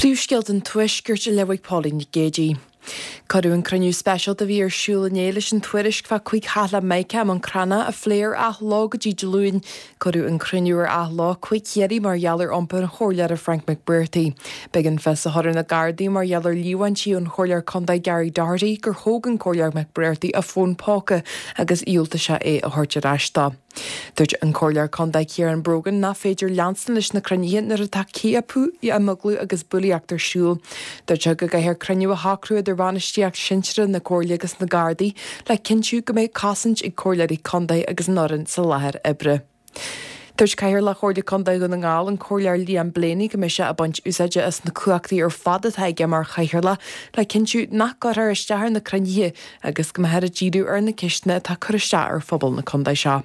Príomhscéalta an Tuaiscirt á léamh ag Pauline Nic Géadaigh. Cuireadh an cruinniú speisialta a bhí ar siúl inné leis an tuairisc fá 5 theach le Mica i mBun Cranncha a phlé ar athló go dtí Dé Luain. Cuireadh an cruinniú ar athló chuig Chiarraí mar gheall ar iompar an Chomhairleora Frank McBrearty. B'éigean fios a chur ar na Gardaí mar gheall ar líomhaintí ón Chomhairleoir Contae Gary Doherty gur thóg an Comhairleoir McBrearty a fón póca agus dhiúltaigh sé é a thabhairt ar ais dó. Dúirt an Comhairleoir Contae Ciarán Brogan nach féidir leanstan leis na cruinnithe nuair atá ciapadh, imeaglú agus bulaíocht ar siúl. Dúirt sé go gcaithfear cruinniú a shocrú idir bhainistíocht sinsearach na Comhairle agus na Gardaí le cinntiú go mbeidh cosaint ag comhairleoirí contae agus an fhoireann sa láthair oibre. Dúirt Cathaoirleach Chomhairle Contae Dhún na nGall, an Comhairleoir Liam Blaney go mbeidh sé ag baint úsáide as na cumhachtaí ar fad atá aige mar chathaoirleach le cinntiú nach gcuirfear isteach ar na cruinnithe agus go mbeifear ag díriú ar na ceisteanna atá ag cur isteach ar phobal na contae seo.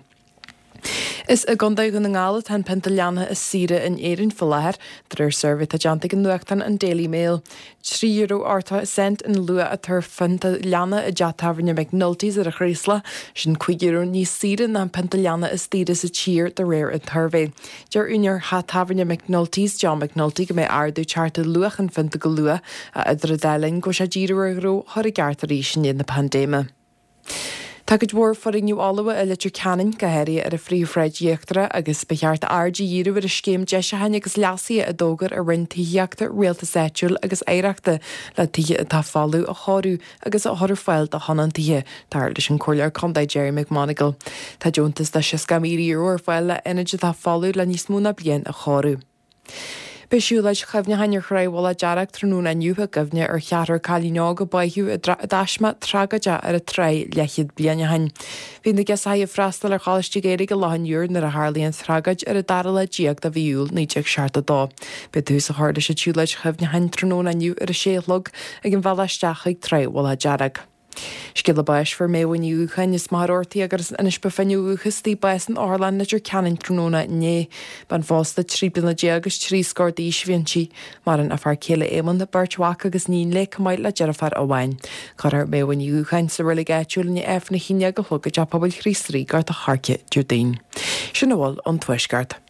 Is i gContae Dhún na nGall atá an pionta leanna is saoire in Éirinn faoi láthair, de réir suirbhé atá déanta ag an nuachtán an Daily Mail. €3.80 an luach atá ar phionta leanna i dteach tábhairne McNulty's ar an Chraoslach, sin €5 níos saoire ná an pionta leanna is daoire sa tír, de réir an tsuirbhé. Deir úinéir theach tábhairne McNulty's, John McNulty, go mbeidh ardú ag teacht ar luach an phionta go luath, ach idir an dá linn go bhfuil sé ag díriú ar a ghnó a chur i gceart arís i ndiaidh na paindéime. Tá cuid mhór foirgneamh fholmha i Leitir Ceanainn, go háirithe ar an phríomhshráid íochtarach, agus ba cheart aird a dhíriú ar an scéim deisiúcháin agus leasaithe a d'fhógair an Roinn Tithíochta, Rialtais Áitiúil agus Oidhreachta le tithe atá folamh a chóiriú agus a chur ar fáil do thionóntaithe, dar leis an Comhairleoir Contae Gerry McMonagall. Tá deontas de €60,000 ar fáil le ionaid atá folamh le níos mó ná bliain a chóiriú. Beidh siúlóid chuimhneacháin ar Thráigh Mhullach Dearg tráthnóna inniu i gcuimhne ar cheathrar cailín óg a báitheadh i dtaisme tragóideach ar an tráigh leathchéad bliain ó shin. Bhí na girseachaí ag freastal ar Choláiste Gaeilge i Loch an Iúir nuair a tharlaigh an tragóid ar an dara lá déag de mhí Iúil 1972. Beidh tús á chur leis an tsiúlóid chuimhneacháin tráthnóna inniu ar a sé a chlog ag an bhealach isteach chuig Tráigh Mhullach Dearg. Scéala báis Fuair Méabha Ní Dhúcháin as Machaire Rabhartaigh agus as Inis Bó Finne ó dhúchas di, bás in Otharlann Leitir Ceanainn tráthnóna inné. Bean phósta, 13 bliana agus trí scór d'aois a bhí inti. Maireann a fear céile Éamonn, beirt mhac agus iníon léi chomh maith le deirfiúr amháin. Cuirfear Méabha Ní Dhúcháin sa reilig áitiúil i ndiaidh Aifreann 11 a chlog i dTeach Pobail Chríost Rí, Gort a' Choirce, Déardaoin. Sin a bhfuil ón Tuaisceart.